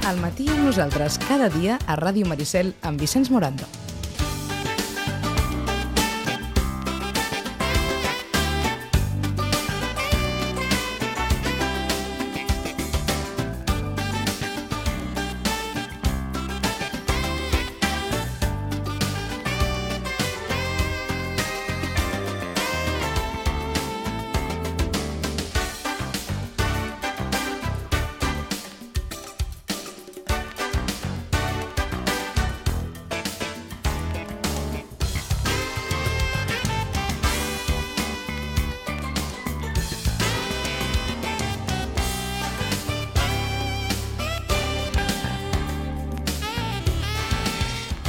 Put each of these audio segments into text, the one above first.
Al matí amb nosaltres cada dia a Ràdio Maricel amb Vicenç Morando.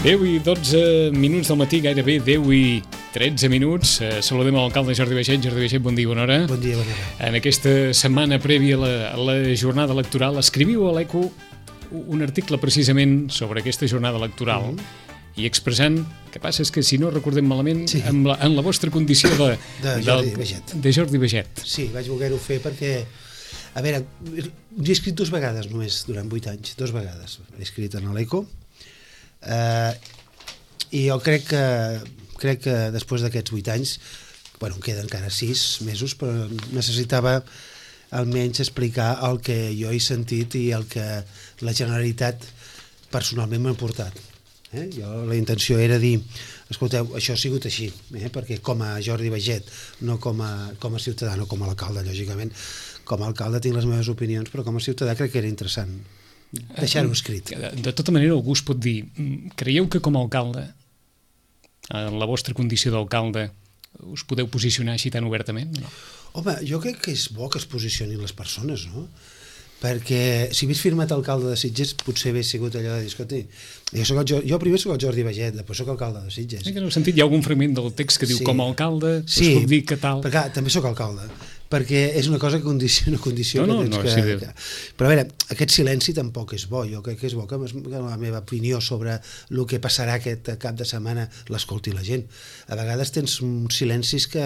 Deu i 12 minuts del matí, gairebé 10 i 13 minuts. Saludem l'alcalde Jordi Baixet. Jordi Baixet, bon dia, bona hora. Bon dia, bona hora. En aquesta setmana prèvia a la jornada electoral, escriviu a l'ECO un article precisament sobre aquesta jornada electoral i expressant, que passa és que si no recordem malament, Sí. en la vostra condició De Jordi Baixet. de Jordi Baixet. Sí, vaig voler-ho fer perquè, a veure, jo he escrit 2 vegades només durant 8 anys, 2 vegades. He escrit en l'ECO i jo crec que després d'aquests 8 anys, bueno, em queden encara 6 mesos, però necessitava almenys explicar el que jo he sentit i el que la Generalitat personalment m'ha portat. La intenció era dir, escolteu, això ha sigut així, perquè com a Jordi Baixet, no com a ciutadà, no com a alcalde, lògicament, com a alcalde tinc les meves opinions, però com a ciutadà crec que era interessant deixar-ho escrit. De tota manera, algú us pot dir, creieu que com a alcalde, en la vostra condició d'alcalde, us podeu posicionar així tan obertament? No? Home, jo crec que és bo que es posicionin les persones, no? Perquè si hagués firmat alcalde de Sitges potser hagués sigut allò de dir, escolti, jo primer soc el Jordi Baixet, després soc alcalde de Sitges. En el sentit, hi ha algun fragment del text que diu Sí. com a alcalde, us Sí, puc dir que tal... perquè clar, també sóc alcalde, perquè és una cosa que condiciona No, que tens sí, Però a veure, aquest silenci tampoc és bo. Jo crec que és bo que la meva opinió sobre el que passarà aquest cap de setmana l'escolti la gent. A vegades tens silencis que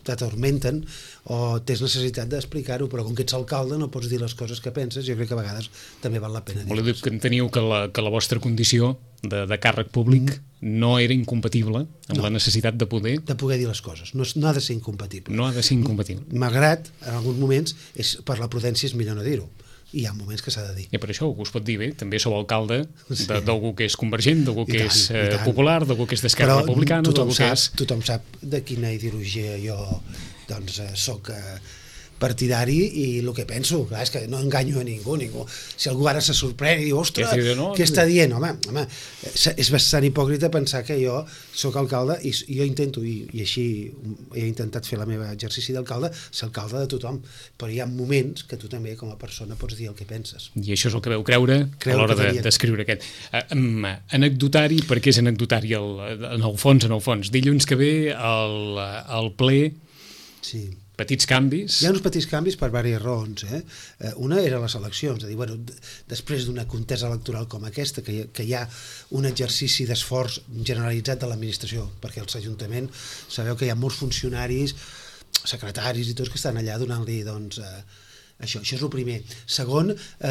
t'atormenten o tens necessitat d'explicar-ho, però com que ets alcalde no pots dir les coses que penses. Jo crec que a vegades també val la pena dir-ho. Voleu dir que enteniu que la vostra condició de càrrec públic no era incompatible amb la necessitat de poder? De poder dir les coses. No ha de ser incompatible. No ha de ser incompatible. Malgrat, en alguns moments, per la prudència és millor no dir-ho. I hi ha moments que s'ha de dir. I per això algú us pot dir, bé, també sou alcalde d'algú que és convergent, d'algú que és popular, d'algú que és d'Esquerra Republicana, d'algú que és... Tothom sap de quina ideologia jo soc partidari i el que penso, clar, és que no enganyo a ningú. Si algú ara se sorprèn i diu, ostres, què està dient? Home, és bastant hipòcrita pensar que jo soc alcalde i jo intento, i així he intentat fer la meva exercici d'alcalde, ser alcalde de tothom, però hi ha moments que tu també com a persona pots dir el que penses. I això és el que veu creure a l'hora d'escriure aquest. Anecdotari, perquè és anecdotari en el fons. Dilluns que ve al ple, sí. Petits canvis. Hi ha uns petits canvis per diverses raons. Una era les eleccions, és a dir, després d'una contesa electoral com aquesta, que hi ha un exercici d'esforç generalitzat de l'administració, perquè als ajuntaments sabeu que hi ha molts funcionaris, secretaris i tots que estan allà donant-li, doncs, això és el primer. Segon,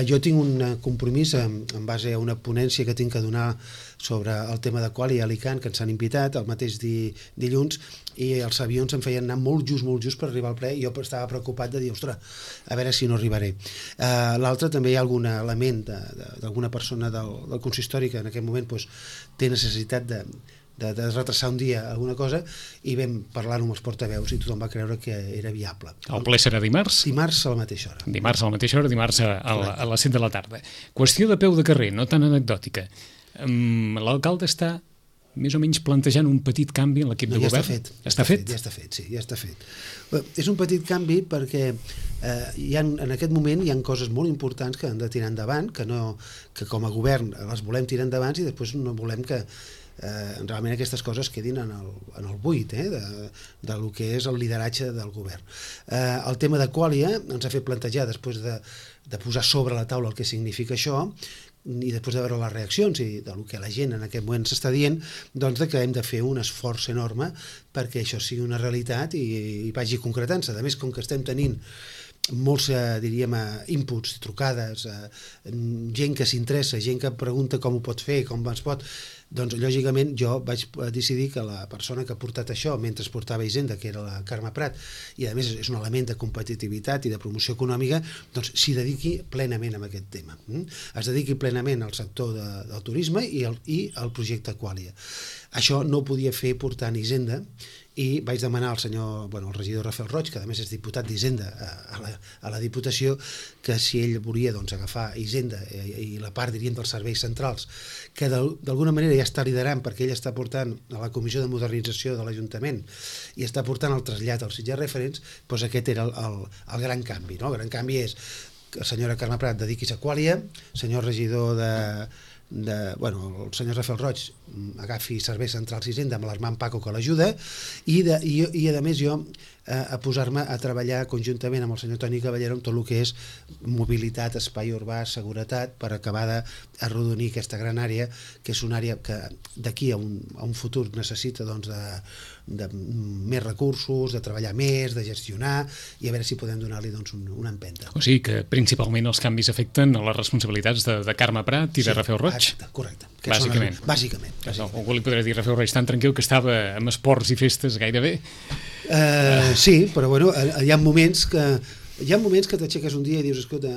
jo tinc un compromís en base a una ponència que tinc que donar sobre el tema de Quali i Alicant, que ens han invitat el mateix dilluns, i els avions em feien anar molt just per arribar al ple, i jo estava preocupat de dir, ostres, a veure si no arribaré. L'altre, també hi ha algun element d'alguna persona del consistori que en aquest moment té necessitat de retrasar un dia alguna cosa, i vam parlar amb els portaveus i tothom va creure que era viable. El ple serà dimarts? Dimarts a la mateixa hora. Dimarts a la mateixa hora, dimarts a les 7 de la tarda. Qüestió de peu de carrer, no tan anecdòtica. L'alcalde està més o menys plantejant un petit canvi en l'equip de govern? Ja està fet. És un petit canvi perquè en aquest moment hi ha coses molt importants que han de tirar endavant, que com a govern les volem tirar endavant i després no volem que realment aquestes coses quedin en el buit de lo que és el lideratge del govern. El tema de Qualia ens ha fet plantejar, després de posar sobre la taula el que significa això, i després de veure les reaccions i del que la gent en aquest moment s'està dient, doncs que hem de fer un esforç enorme perquè això sigui una realitat i vagi concretant-se. A més, com que estem tenint molts, diríem, inputs, trucades, gent que s'interessa, gent que pregunta com ho pot fer, com es pot. Doncs, lògicament, jo vaig decidir que la persona que ha portat això mentre es portava Hisenda, que era la Carme Prat, i a més és un element de competitivitat i de promoció econòmica, doncs s'hi dediqui plenament a aquest tema. Es dediqui plenament al sector del turisme i al projecte Qualia. Això no ho podia fer portant Hisenda, i vaig demanar al regidor Rafael Roig, que a més és diputat d'Hisenda a la Diputació, que si ell volia agafar Hisenda i la part, diríem, dels serveis centrals, que d'alguna manera ja està liderant, perquè ell està portant a la Comissió de Modernització de l'Ajuntament i està portant el trasllat als Sitges Referents, doncs aquest era el gran canvi. El gran canvi és que la senyora Carme Prat dediquis a Qualia, senyor regidor el senyor Rafael Roig agafi serveis centrals i Hisenda amb l'Armand Paco, que l'ajuda, i a més jo a posar-me a treballar conjuntament amb el senyor Toni Caballero en tot el que és mobilitat, espai urbà, seguretat, per acabar d'arrodonir aquesta gran àrea, que és una àrea que d'aquí a un futur necessita de més recursos, de treballar més, de gestionar, i a veure si podem donar-li una empenta. O sigui que principalment els canvis afecten a les responsabilitats de Carme Prat i de Rafael Roig? Exacte, correcte. Bàsicament. Algú li podrà dir Rafael Roig tan tranquil que estava amb esports i festes gairebé? Sí, però bueno, hi ha moments que t'aixeques un dia i dius, escolta,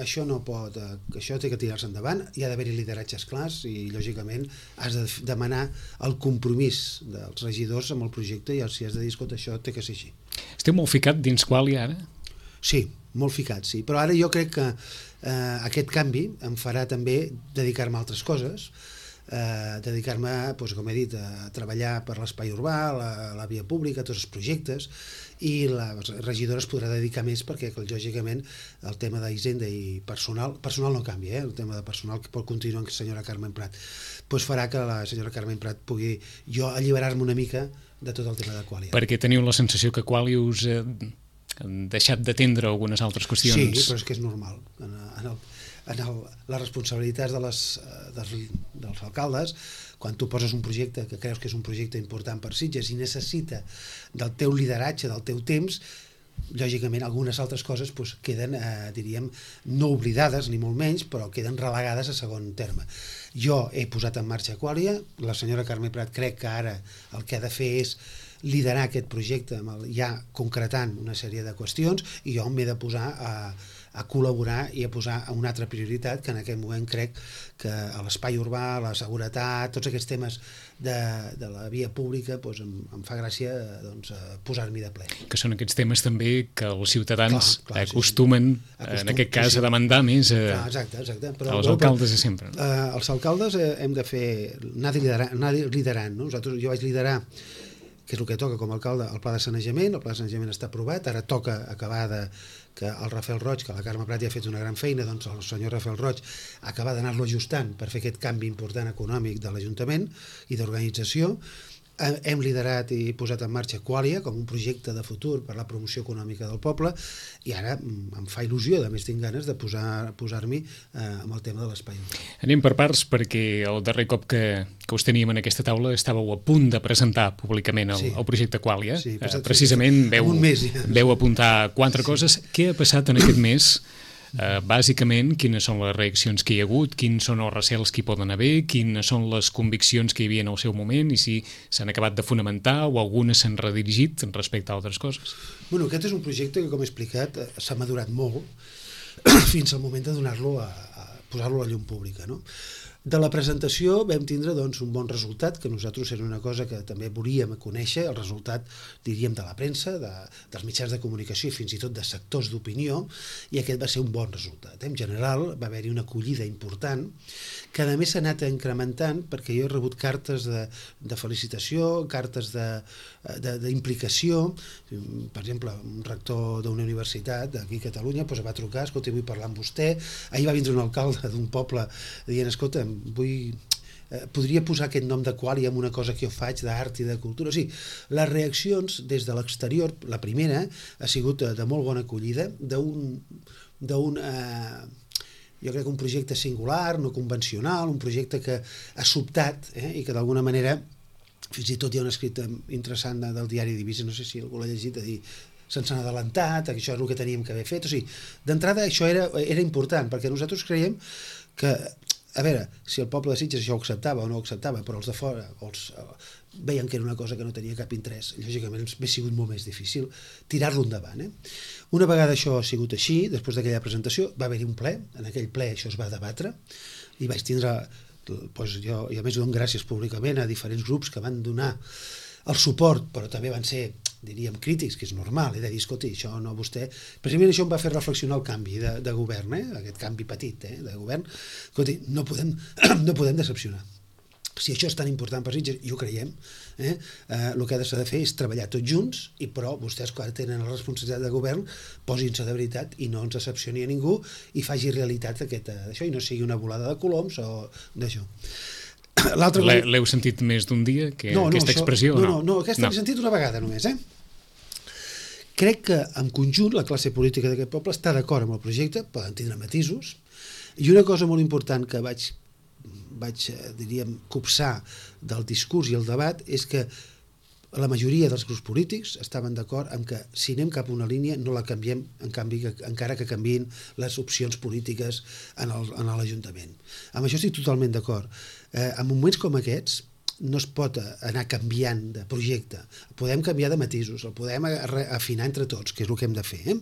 això no pot, això té que tirar-se endavant, hi ha d'haver-hi lideratges clars i, lògicament, has de demanar el compromís dels regidors amb el projecte i si has de dir, escolta, això té que ser així. Esteu molt ficat dins Qualia ara? Sí, molt ficat, sí. Però ara jo crec que aquest canvi em farà també dedicar-me a altres coses, dedicar-me, com he dit, a treballar per l'espai urbà, la via pública, tots els projectes, i la regidora es podrà dedicar més perquè, lògicament, el tema d'Hisenda i personal no canvia, el tema de personal que pot continuar amb la senyora Carmen Prat, doncs farà que la senyora Carmen Prat pugui jo alliberar-me una mica de tot el tema de Qualia. Perquè teniu la sensació que Qualia us han deixat d'atendre algunes altres qüestions? Sí, però és que és normal. Les responsabilitats dels alcaldes, quan tu poses un projecte que creus que és un projecte important per Sitges i necessita del teu lideratge, del teu temps, lògicament algunes altres coses queden, diríem, no oblidades ni molt menys, però queden relegades a segon terme. Jo he posat en marxa Qualia, la senyora Carme Prat crec que ara el que ha de fer és liderar aquest projecte ja concretant una sèrie de qüestions, i jo m'he de posar a col·laborar i a posar una altra prioritat, que en aquest moment crec que a l'espai urbà, la seguretat, tots aquests temes de la via pública, em fa gràcia posar-m'hi de ple. Que són aquests temes també que els ciutadans acostumen, en aquest cas, a demandar més exacte. als alcaldes de sempre. Els alcaldes hem de anar liderant. Jo vaig liderar, que és el que toca com a alcalde, el pla de sanejament. El pla de sanejament està aprovat, ara toca acabar que el Rafael Roig, que la Carme Prat ja ha fet una gran feina, doncs el senyor Rafael Roig acabar d'anar-lo ajustant per fer aquest canvi important econòmic de l'Ajuntament i d'organització. Hem liderat i posat en marxa Qualia com un projecte de futur per a la promoció econòmica del poble, i ara em fa il·lusió, a més tinc ganes de posar-m'hi amb el tema de l'espai. Anem per parts, perquè el darrer cop que us teníem en aquesta taula estàveu a punt de presentar públicament el projecte Qualia. Precisament veu apuntar 4 coses. Què ha passat en aquest mes? Bàsicament, quines són les reaccions que hi ha hagut, quins són els recels que hi poden haver, quines són les conviccions que hi havia en el seu moment i si s'han acabat de fonamentar o algunes s'han redirigit respecte a altres coses. Aquest és un projecte que, com he explicat, s'ha madurat molt fins al moment de donar-lo posar-lo a la llum pública. De la presentació vam tindre un bon resultat, que nosaltres era una cosa que també volíem conèixer, el resultat, diríem, de la premsa, dels mitjans de comunicació i fins i tot de sectors d'opinió, i aquest va ser un bon resultat. En general va haver-hi una acollida important, que a més s'ha anat incrementant, perquè jo he rebut cartes de felicitació, cartes d'implicació. Per exemple, un rector d'una universitat d'aquí a Catalunya va trucar, escolta, vull parlar amb vostè. Ahir va vindre un alcalde d'un poble dient, escolta, podria posar aquest nom de Qualia en una cosa que jo faig d'art i de cultura. O sigui, les reaccions des de l'exterior, la primera ha sigut de molt bona acollida, jo crec que un projecte singular, no convencional, un projecte que ha sobtat i que d'alguna manera, fins i tot hi ha un escrit interessant del diari Divisa, no sé si algú l'ha llegit, a dir, se'ns han adelantat, que això és el que teníem que haver fet. O sigui, d'entrada això era important, perquè nosaltres creiem que, a veure, si el poble de Sitges això ho acceptava o no ho acceptava, però els de fora veien que era una cosa que no tenia cap interès, lògicament m'ha sigut molt més difícil tirar-lo endavant. Una vegada això ha sigut així, després d'aquella presentació va haver-hi un ple, en aquell ple això es va debatre, i vaig tindre, doncs jo, i a més dono gràcies públicament a diferents grups que van donar el suport, però també van ser, diríem, crítics, que és normal, de dir, escolti, això no vostè... Precisament això em va fer reflexionar el canvi de govern, aquest canvi petit de govern. Escolti, no podem decepcionar. Si això és tan important per Sitges, i ho creiem, el que s'ha de fer és treballar tots junts, però vostès, quan tenen la responsabilitat de govern, posin-se de veritat i no ens decepcioni a ningú i faci realitat d'això i no sigui una volada de coloms o d'això. L'heu sentit més d'un dia, aquesta expressió? No, aquesta l'he sentit una vegada només. Crec que en conjunt la classe política d'aquest poble està d'acord amb el projecte, poden tindre matisos, i una cosa molt important que vaig diríem, copsar del discurs i el debat és que la majoria dels grups polítics estaven d'acord amb que si anem cap a una línia no la canviem, en canvi, encara que canviïn les opcions polítiques en l'Ajuntament. Amb això estic totalment d'acord. En moments com aquests no es pot anar canviant de projecte. Podem canviar de matisos, el podem afinar entre tots, que és el que hem de fer,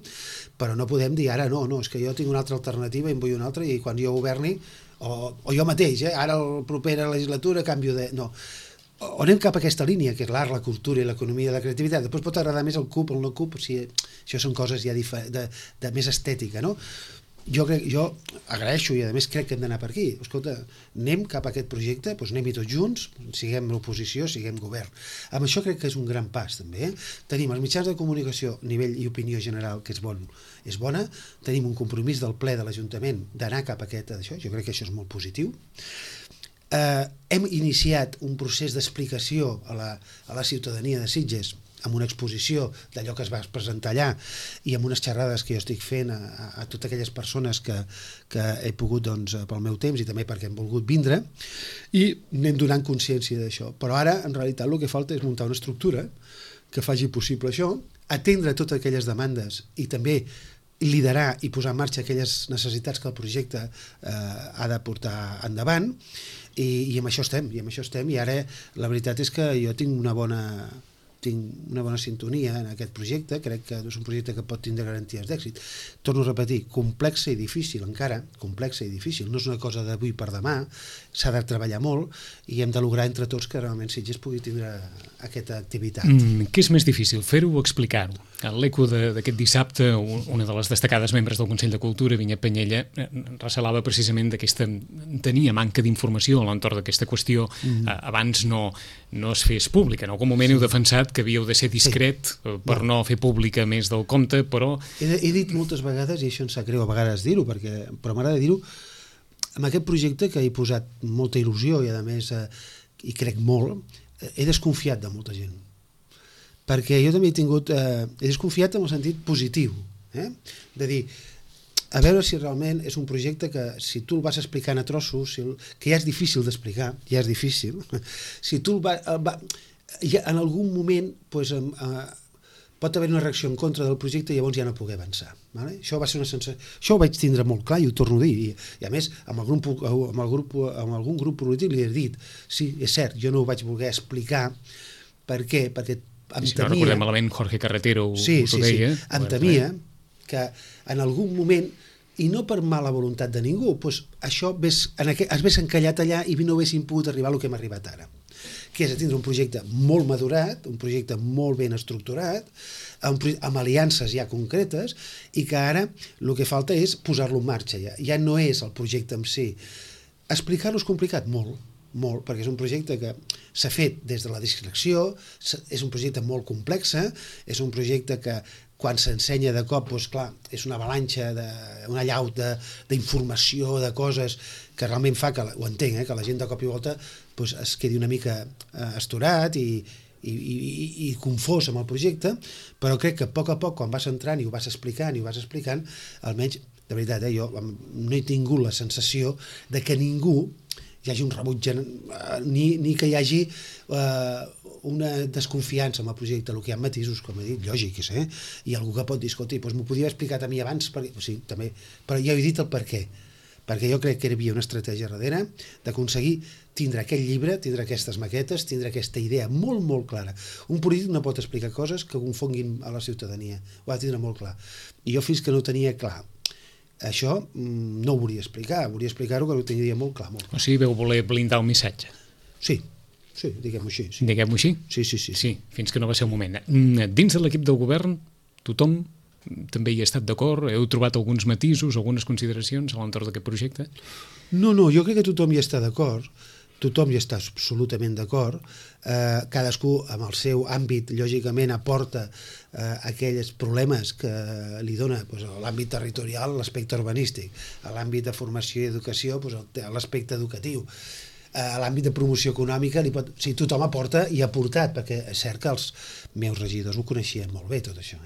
però no podem dir ara no, és que jo tinc una altra alternativa i en vull una altra i quan jo governi, o jo mateix, ara la propera legislatura canvio de... No. O anem cap a aquesta línia, que és l'art, la cultura i l'economia i la creativitat. Després pot agradar més el CUP o el no CUP, si això són coses ja de més estètica, no? Jo agraeixo i a més crec que hem d'anar per aquí. Escolta, anem cap a aquest projecte, doncs anem-hi tots junts, siguem l'oposició, siguem govern. Amb això crec que és un gran pas també. Tenim els mitjans de comunicació, nivell i opinió general, que és bona, tenim un compromís del ple de l'Ajuntament d'anar cap a això, jo crec que això és molt positiu. Hem iniciat un procés d'explicació a la ciutadania de Sitges amb una exposició d'allò que es va presentar allà i amb unes xerrades que jo estic fent a totes aquelles persones que he pogut pel meu temps i també perquè han volgut vindre i anem donant consciència d'això. Però ara, en realitat, el que falta és muntar una estructura que faci possible això, atendre totes aquelles demandes i també liderar i posar en marxa aquelles necessitats que el projecte ha de portar endavant i amb això estem, i ara la veritat és que jo tinc una bona sintonia en aquest projecte, crec que és un projecte que pot tindre garanties d'èxit. Torno a repetir, complexa i difícil encara, complexa i difícil, no és una cosa d'avui per demà, s'ha de treballar molt i hem de lograr entre tots que realment Sitges pugui tindre aquesta activitat. Què és més difícil, fer-ho o explicar-ho? A l'eco d'aquest dissabte, una de les destacades membres del Consell de Cultura, Vinyet Penyella, recelava precisament tenia manca d'informació a l'entorn d'aquesta qüestió. Abans no es fes pública. En algun moment heu defensat que havíeu de ser discret per no fer pública més del compte, però... He dit moltes vegades, i això em sap greu a vegades dir-ho, però m'agrada dir-ho, amb aquest projecte que he posat molta il·lusió i a més hi crec molt, he desconfiat de molta gent. Perquè jo també he desconfiat en el sentit positiu, de dir, a veure si realment és un projecte que si tu el vas explicant a trossos, que ja és difícil d'explicar, ja és difícil, si tu en algun moment pot haver una reacció en contra del projecte i llavors ja no poder avançar. Això va ser una sensació, això ho vaig tindre molt clar i ho torno a dir, i a més amb algun grup polític li he dit, sí, és cert, jo no ho vaig voler explicar. Per què? Perquè si no recordem malament, Jorge Carretero us ho deia. Em temia que en algun moment, i no per mala voluntat de ningú, això es vés encallat allà i no haguéssim pogut arribar al que hem arribat ara, que és a tindre un projecte molt madurat, un projecte molt ben estructurat, amb aliances ja concretes, i que ara el que falta és posar-lo en marxa ja. Ja no és el projecte en si. Explicar-lo és complicat, molt, perquè és un projecte que s'ha fet des de la discreció, és un projecte molt complex, és un projecte que quan s'ensenya de cop, doncs clar, és una avalanxa, una allau d'informació, de coses que realment fa que, ho entenc, que la gent de cop i volta es quedi una mica astorat i confós amb el projecte, però crec que a poc, quan vas entrant i ho vas explicant, almenys, de veritat, jo no he tingut la sensació de que ningú hi hagi un rebuig, ni que hi hagi una desconfiança amb el projecte. El que hi ha matisos, com he dit, lògics, i algú que pot dir, escolta, doncs m'ho podia haver explicat a mi abans, sí, també, però ja he dit el per què, perquè jo crec que hi havia una estratègia darrere d'aconseguir tindre aquest llibre, tindre aquestes maquetes, tindre aquesta idea molt, molt clara. Un polític no pot explicar coses que confonguin a la ciutadania, ho ha de tindre molt clar. I jo fins que no ho tenia clar, això no ho volia explicar-ho que ho tenia molt clar. Molt clar. O sigui, veu voler blindar el missatge. Sí, diguem-ho així. Sí. Diguem-ho així? Sí, fins que no va ser el moment. Dins de l'equip del govern, tothom també hi ha estat d'acord? Heu trobat alguns matisos, algunes consideracions a l'entorn d'aquest projecte? No, jo crec que tothom hi està d'acord. Tothom hi està absolutament d'acord, cadascú amb el seu àmbit lògicament aporta aquells problemes que li dona l'àmbit territorial, l'aspecte urbanístic, a l'àmbit de formació i educació, l'aspecte educatiu, a l'àmbit de promoció econòmica, tothom aporta i ha aportat, perquè és cert que els meus regidors ho coneixien molt bé tot això,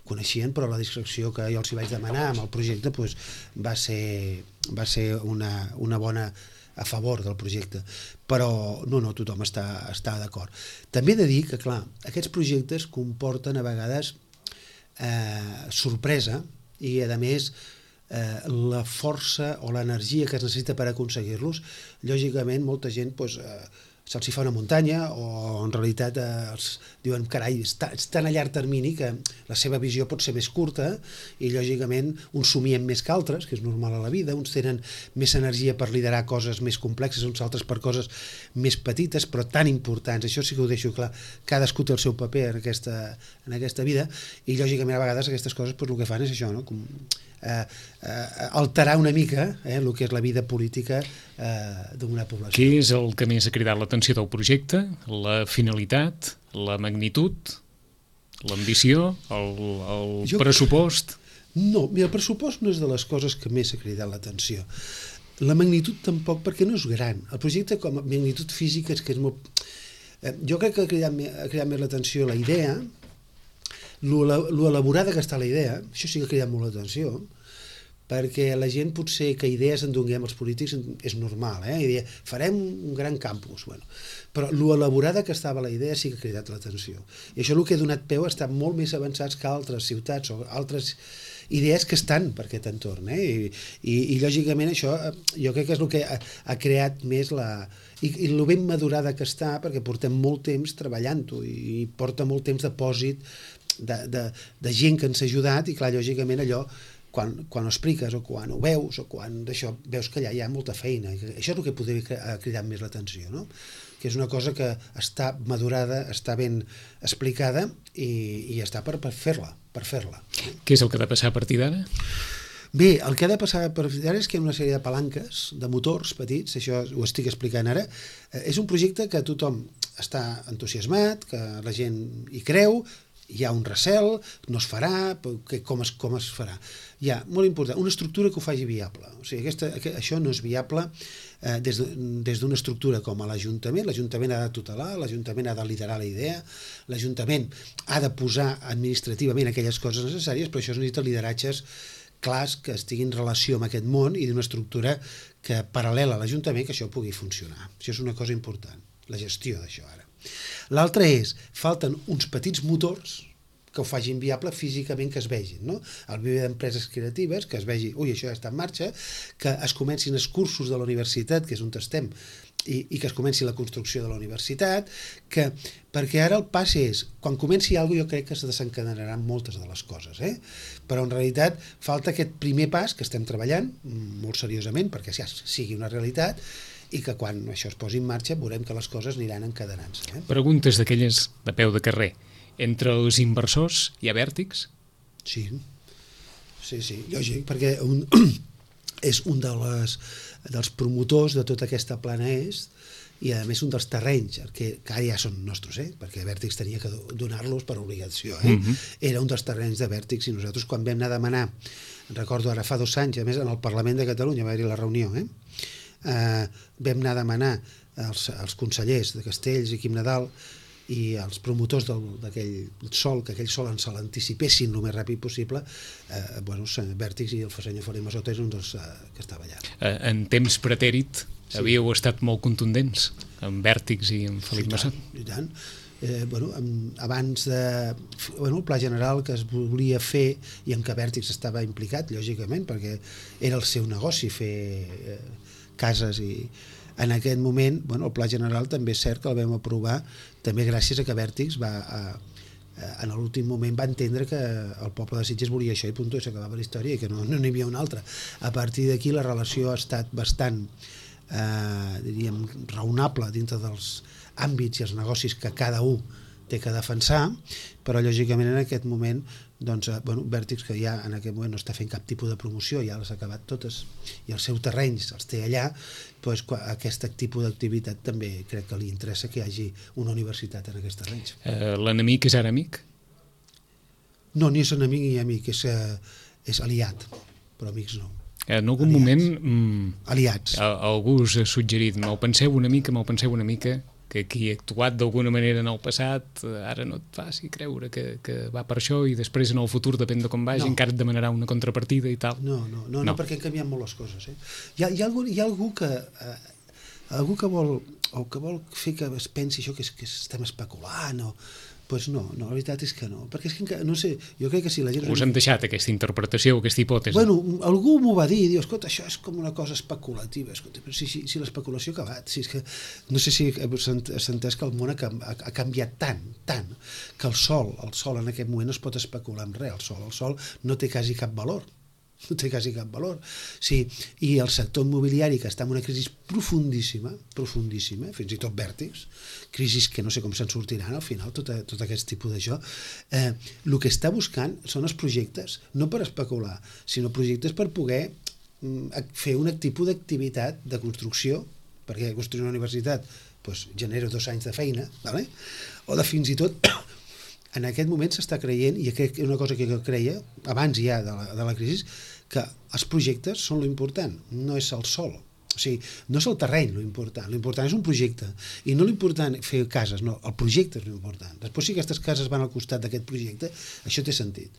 coneixien, però la discreció que jo els hi vaig demanar amb el projecte va ser una bona a favor del projecte, però no, tothom està d'acord. També he de dir que, clar, aquests projectes comporten a vegades sorpresa i, a més, la força o l'energia que es necessita per aconseguir-los. Lògicament, molta gent se'ls fa una muntanya o en realitat els diuen, carai, estan a llarg termini que la seva visió pot ser més curta i lògicament uns somien més que altres, que és normal a la vida, uns tenen més energia per liderar coses més complexes, uns altres per coses més petites però tan importants. Això sí que ho deixo clar, cadascú té el seu paper en aquesta vida i lògicament a vegades aquestes coses el que fan és això, com alterar una mica el que és la vida política d'una població. Què és el que més ha cridat l'atenció del projecte? La finalitat, la magnitud, l'ambició, el pressupost? No, mira, el pressupost no és de les coses que més ha cridat l'atenció. La magnitud tampoc, perquè no és gran. El projecte com a magnitud física és que és molt... Jo crec que ha cridat més l'atenció la idea, lo elaborada que està la idea, això sí que ha cridat molt l'atenció, perquè la gent potser que idees en donem els polítics és normal, i farem un gran campus, però lo elaborada que estava la idea sí que ha cridat l'atenció. I això el que ha donat peu a estar molt més avançats que altres ciutats o altres idees que estan per aquest entorn, i lògicament això jo crec que és el que ha creat més i el ben madurada que està, perquè portem molt temps treballant-ho i porta molt temps de pòsit de gent que ens ha ajudat i clar, lògicament allò quan ho expliques o quan ho veus o quan d'això veus que allà hi ha molta feina. Això és el que podria cridar més l'atenció, no? Que és una cosa que està madurada, està ben explicada i està per fer-la. Què és el que ha de passar a partir d'ara? Bé, el que ha de passar a partir d'ara és que hi ha una sèrie de palanques, de motors petits, això ho estic explicant ara. És un projecte que tothom està entusiasmat, que la gent hi creu, hi ha un recel, no es farà, com es farà. Hi ha, molt important, una estructura que ho faci viable. O sigui, això no és viable des d'una estructura com a l'Ajuntament. L'Ajuntament ha de tutelar, l'Ajuntament ha de liderar la idea, l'Ajuntament ha de posar administrativament aquelles coses necessàries, però això necessita lideratges clars que estiguin en relació amb aquest món i d'una estructura que paral·lela a l'Ajuntament que això pugui funcionar. Això és una cosa important, la gestió d'això ara. L'altre és, falten uns petits motors que ho facin viable físicament, que es vegin, no? El viver d'empreses creatives, que es vegi, això ja està en marxa, que es comencin els cursos de la universitat, que és on estem, i que es comenci la construcció de la universitat, perquè ara el pas és, quan comenci alguna cosa jo crec que es desencadenaran moltes de les coses, però en realitat falta aquest primer pas que estem treballant molt seriosament perquè ja sigui una realitat i que quan això es posi en marxa veurem que les coses aniran encadenant-se. Preguntes d'aquelles de peu de carrer. Entre els inversors hi ha vèrtix? Sí, lògic, perquè és un dels promotors de tota aquesta plana est i a més un dels terrenys que ara ja són nostres, perquè Vèrtix tenia que donar-los per obligació. Era un dels terrenys de Vèrtix i nosaltres quan vam anar a demanar, recordo ara fa 2 anys, a més en el Parlament de Catalunya va haver-hi la reunió, vam anar a demanar als consellers de Castells i Quim Nadal i els promotors d'aquell sol, que aquell sol ens l'anticipessin el més ràpid possible, Vèrtix i el senyor Felip Massota és un dels que estava allà. En temps pretèrit havíeu estat molt contundents amb Vèrtix i amb Felip Massota. I tant. Abans el pla general que es volia fer i en què Vèrtix estava implicat, lògicament, perquè era el seu negoci fer cases, i en aquest moment el pla general també és cert que el vam aprovar també gràcies a que Vèrtix en l'últim moment va entendre que el poble de Sitges volia això i punt, i s'acabava la història i que no n'hi havia una altra. A partir d'aquí la relació ha estat bastant diríem raonable dintre dels àmbits i els negocis que cada un té que defensar, però lògicament en aquest moment Vèrtix, que ja en aquest moment no està fent cap tipus de promoció, ja les ha acabat totes i els seus terrenys els té allà, aquest tipus d'activitat també crec que li interessa que hi hagi una universitat en aquests terrenys. L'enemic és ara amic? No, ni és enemic ni amic, és aliat, però amics no. En algun moment aliats. Algú us ha suggerit, me'l penseu una mica, que qui ha actuat d'alguna manera en el passat ara no et faci creure que va per això i després en el futur, depèn de com vagi, encara et demanarà una contrapartida i tal. No, perquè han canviat molt les coses. Hi ha algú que vol fer que es pensi això que estem especulant o... Doncs no, la veritat és que no, perquè és que, no sé, jo crec que si la gent... Us han deixat aquesta interpretació, aquesta hipòtesi? Algú m'ho va dir, diu, escolta, això és com una cosa especulativa, escolta, però si l'especulació ha acabat, si és que, no sé si s'ha entès que el món ha canviat tant, que el sol en aquest moment no es pot especular amb res, el sol no té quasi cap valor. Sí, i el sector immobiliari, que està en una crisi profundíssima, fins i tot Vèrtix, crisis que no sé com se'n sortiran al final, tot aquest tipus d'això, el que està buscant són els projectes, no per especular, sinó projectes per poder fer un tipus d'activitat de construcció, perquè construir una universitat genera 2 anys de feina, o de fins i tot... En aquest moment s'està creient, i crec que una cosa que jo creia, abans ja de la crisi, que els projectes són l'important, no és el sol. O sigui, no és el terreny l'important és un projecte. I no l'important fer cases, no, el projecte és l'important. Després, si aquestes cases van al costat d'aquest projecte, això té sentit.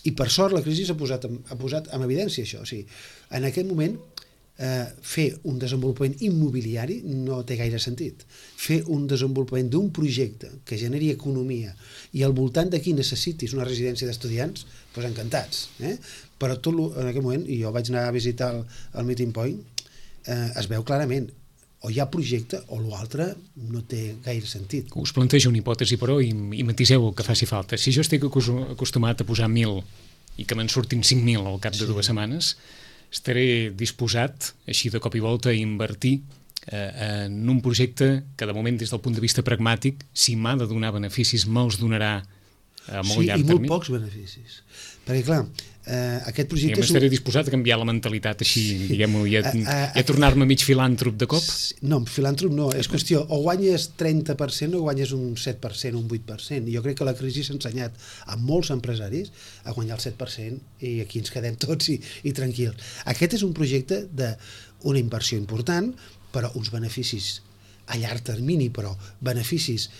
I per sort la crisi ha posat en evidència això. O sigui, en aquest moment fer un desenvolupament immobiliari no té gaire sentit. Fer un desenvolupament d'un projecte que generi economia i al voltant d'aquí necessitis una residència d'estudiants, doncs encantats. Però tot en aquest moment, i jo vaig anar a visitar el Meeting Point, es veu clarament o hi ha projecte o l'altre no té gaire sentit. Us plantejo una hipòtesi, però, i matiseu el que faci falta. Si jo estic acostumat a posar 1.000 i que me'n surtin 5.000 al cap de 2 setmanes, estaré disposat, així de cop i volta, a invertir en un projecte que, de moment, des del punt de vista pragmàtic, si m'ha de donar beneficis, me'ls donarà a molt llarg termini. Sí, i molt pocs beneficis. Perquè, clar, aquest projecte... Estaré disposat a canviar la mentalitat així, diguem-ho, i a tornar-me mig filàntrop de cop? No, filàntrop no, és qüestió, o guanyes 30% o guanyes un 7%, un 8%. Jo crec que la crisi s'ha ensenyat a molts empresaris a guanyar el 7% i aquí ens quedem tots i tranquils. Aquest és un projecte d'una inversió important, però uns beneficis a llarg termini, però beneficis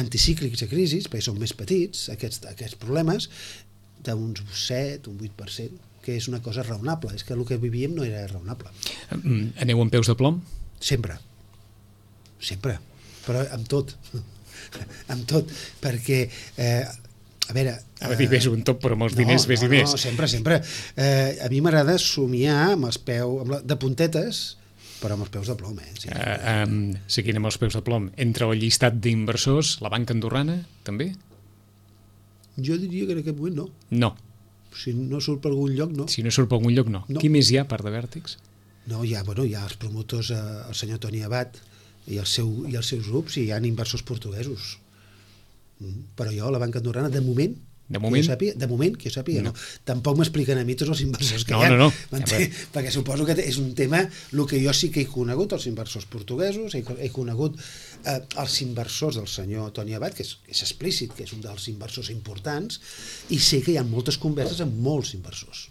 anticíclics a crisis, perquè són més petits, aquests problemes, d'uns 7, un 8%, que és una cosa raonable. És que el que vivíem no era raonable. Aneu amb peus de plom? Sempre, però amb tot, perquè, a veure... Ara dir, ves un top, però amb els diners ves i més. No, sempre. A mi m'agrada somiar amb els peus, de puntetes, però amb els peus de plom, Sí. Seguint amb els peus de plom, entre el llistat d'inversors, la banca andorrana, també? Jo diria que en aquest moment no. No. Si no surt per algun lloc, no. Si no surt per algun lloc, no. Qui més hi ha, a part de Vèrtix? No, hi ha els promotors, el senyor Toni Abad i els seus grups, i hi ha inversors portuguesos. Però jo, la banca andorrana, de moment, que jo sàpiga, no. Tampoc m'expliquen a mi tots els inversors que hi ha. No. Perquè suposo que és un tema, el que jo sí que he conegut, els inversors portuguesos, he conegut els inversors del senyor Toni Abad, que és explícit, que és un dels inversors importants, i sé que hi ha moltes converses amb molts inversors,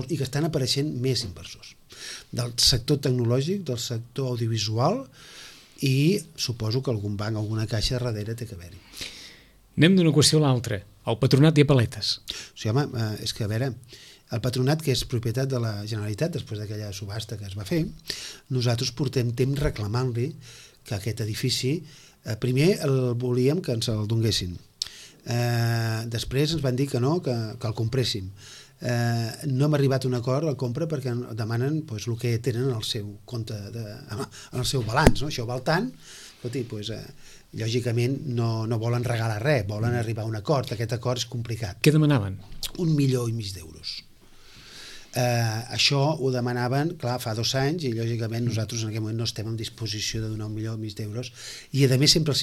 i que estan apareixent més inversors. Del sector tecnològic, del sector audiovisual, i suposo que algun banc, alguna caixa darrere té que haver-hi. Anem d'una qüestió a l'altra. El Patronat i a paletes. O sigui, home, és que a veure, el Patronat, que és propietat de la Generalitat, després d'aquella subhasta que es va fer, nosaltres portem temps reclamant-li que aquest edifici, primer el volíem que ens el donguessin, després ens van dir que no, que el compréssim. No hem arribat a un acord a la compra perquè demanen el que tenen en el seu compte, en el seu balanç, no? Això val tant, escolti, lògicament no volen regalar res, volen arribar a un acord. Aquest acord és complicat. Què demanaven? 1,5 milions d'euros. Això ho demanaven, clar, fa 2 anys, i lògicament nosaltres en aquest moment no estem en disposició de donar 1,5 milions d'euros, i a més sempre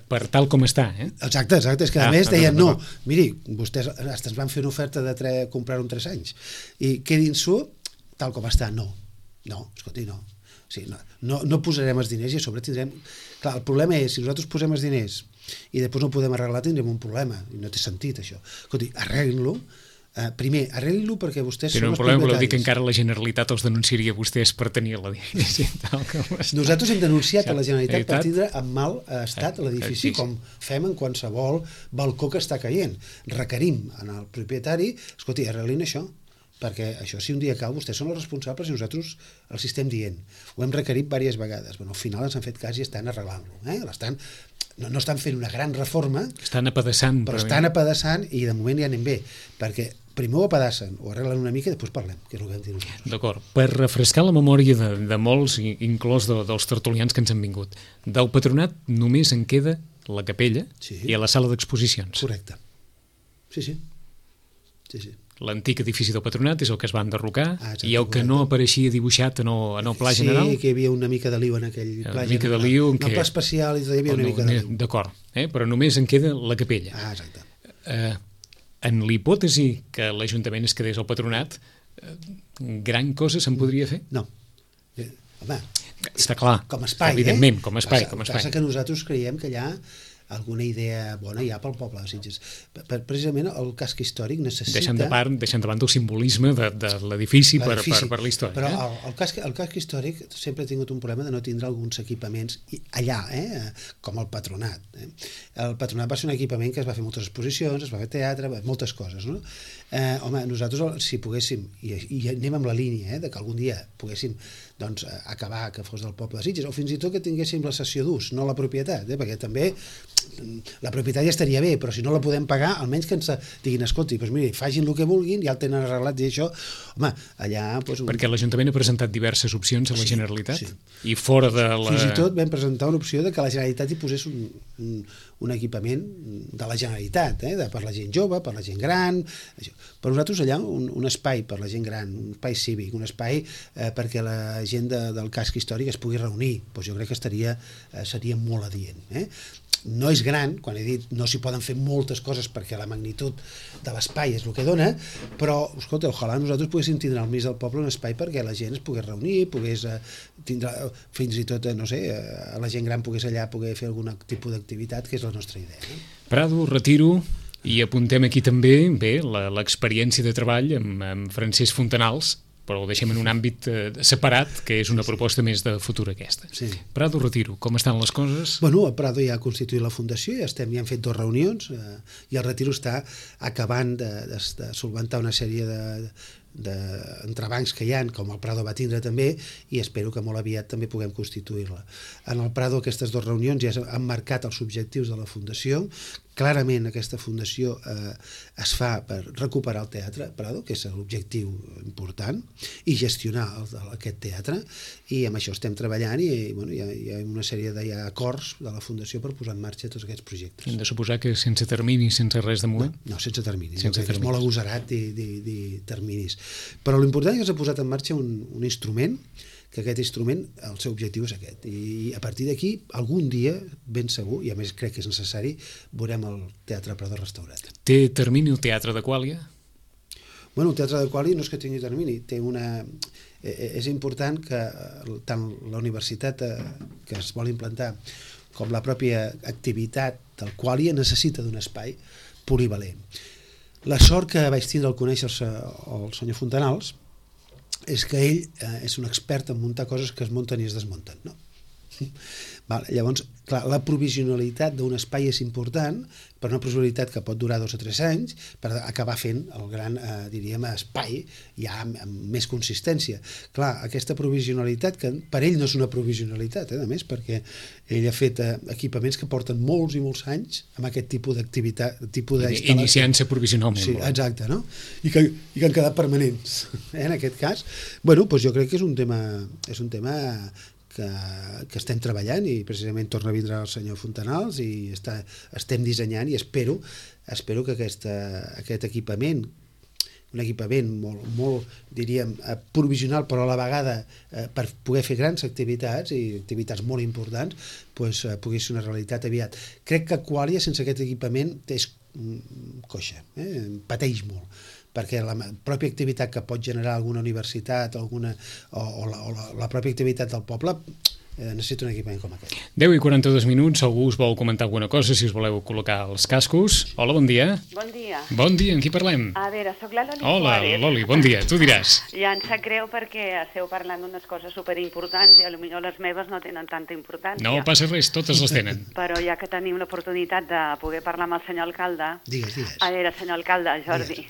per tal com està, Exacte, és que a més deien no, miri, vostès ens van fer una oferta de comprar-ho en 3 anys i quedin-s'ho tal com està. No, escolti, no. Sí, no posarem els diners i a sobre tindrem... Clar, el problema és, si nosaltres posem els diners i després no podem arreglar, tindrem un problema, i no té sentit això. Escolti, arreglin-lo. Primer, arreglin-lo perquè vostès són els propietaris. Voleu dir que encara la Generalitat els denunciaria vostès per tenir l'edifici. Nosaltres hem denunciat a la Generalitat per tindre en mal estat l'edifici, com fem en qualsevol balcó que està caient. Requerim al propietari, escolti, arreglin això, perquè això, si un dia cau, vostès són els responsables i nosaltres els estem dient. Ho hem requerit diverses vegades. Al final ens han fet cas i estan arreglant-lo. No estan fent una gran reforma, estan apedaçant, però estan apedaçant i de moment ja anem bé, perquè primer ho apedassen, ho arreglen una mica i després parlem, que és el que hem dit nosaltres. D'acord. Per refrescar la memòria de molts, inclòs dels tertulians que ens han vingut, del Patronat només en queda la capella i a la sala d'exposicions. Correcte. Sí. L'antic edifici del Patronat és el que es va enderrocar i el que no apareixia dibuixat en el pla general. Sí, que hi havia una mica de liu en aquell pla general. En el pla especial hi havia una mica de liu. D'acord, però només en queda la capella. Exacte. En l'hipòtesi que l'Ajuntament es quedés al Patronat, gran cosa se'n podria fer? No. Home, està clar, com a espai, evidentment, com a espai. Passa que nosaltres creiem que hi ha alguna idea bona ja pel poble de Sitges. Precisament el casc històric necessita... Deixant de banda el simbolisme de l'edifici per la història. Però el casc històric sempre ha tingut un problema de no tindre alguns equipaments allà, com el Patronat. El Patronat va ser un equipament que es va fer moltes exposicions, es va fer teatre, moltes coses, no? Home, nosaltres, si poguéssim, i anem amb la línia, que algun dia poguéssim acabar que fos del poble de Sitges, o fins i tot que tinguéssim la cessió d'ús, no la propietat, perquè també la propietat ja estaria bé, però si no la podem pagar, almenys que ens diguin, escolti, miri, facin el que vulguin, ja el tenen arreglat i això, home, allà... Perquè l'Ajuntament ha presentat diverses opcions a la Generalitat i fora de la... Fins i tot vam presentar una opció de que la Generalitat hi posés un equipament de la Generalitat, per la gent jove, per la gent gran... Per nosaltres allà un espai per la gent gran, un espai cívic, un espai perquè la gent del casc històric es pugui reunir, jo crec que seria molt adient. No és gran, quan he dit no s'hi poden fer moltes coses perquè la magnitud de l'espai és el que dona, però, escolta, ojalà nosaltres poguéssim tindre al mig del poble un espai perquè la gent es pogués reunir, pogués tindre, fins i tot, no sé, la gent gran pogués allà poder fer algun tipus d'activitat, que és la nostra idea. Prado, retiro, i apuntem aquí també l'experiència de treball amb Francesc Fontanals, però ho deixem en un àmbit separat, que és una proposta més de futur aquesta. Sí. Prado, retiro, com estan les coses? Bueno, el Prado ja ha constituït la fundació, ja hem fet 2 reunions, i el retiro està acabant de solventar una sèrie d'entrebancs que hi ha, com el Prado va tindre també, i espero que molt aviat també puguem constituir-la. En el Prado aquestes 2 reunions ja han marcat els objectius de la fundació. Clarament aquesta fundació es fa per recuperar el teatre Prado, que és l'objectiu important, i gestionar aquest teatre, i amb això estem treballant i hi ha una sèrie d'acords de la fundació per posar en marxa tots aquests projectes. Hem de suposar que sense termini, sense res de moment? No, sense termini. És molt agosarat dir terminis. Però l'important és que s'ha posat en marxa un instrument, que aquest instrument, el seu objectiu és aquest. I a partir d'aquí, algun dia, ben segur, i a més crec que és necessari, veurem el Teatre Prado restaurat. Té termini el Teatre de Quàlia? Bueno, el Teatre de Quàlia no és que tingui termini, és important que tant la universitat que es vol implantar com la pròpia activitat del Quàlia necessita d'un espai polivalent. La sort que vaig tindre al conèixer el senyor Fontanals és que ell és un expert en muntar coses que es munten i es desmunten, no? Llavors, clar, la provisionalitat d'un espai és important, per una provisionalitat que pot durar 2 o 3 anys, per acabar fent el gran, diríem, espai ja amb més consistència. Clar, aquesta provisionalitat, que per ell no és una provisionalitat, a més, perquè ell ha fet equipaments que porten molts i molts anys amb aquest tipus d'activitat, iniciant-se provisionalment. Sí, exacte, no? I que han quedat permanents, en aquest cas. Bueno, doncs jo crec que és un tema que estem treballant, i precisament torna a vindre el senyor Fontanals i estem dissenyant, i espero que aquest equipament, un equipament molt, diríem, provisional, però a la vegada per poder fer grans activitats, i activitats molt importants, pugui ser una realitat aviat. Crec que Qualia sense aquest equipament és coixa, pateix molt, perquè la pròpia activitat que pot generar alguna universitat o la pròpia activitat del poble necessita un equipament com aquest. 10 i 42 minuts, algú us vol comentar alguna cosa, si us voleu col·locar els cascos. Hola, bon dia. Bon dia. Bon dia, amb qui parlem? A veure, soc la Loli Hola, Suárez. Loli, bon dia, tu diràs. Ja em sap greu perquè esteu parlant d'unes coses superimportants i potser les meves no tenen tanta importància. No passa res, totes les tenen. Però ja que tenim l'oportunitat de poder parlar amb el senyor alcalde... Digues. A veure, senyor alcalde, Jordi,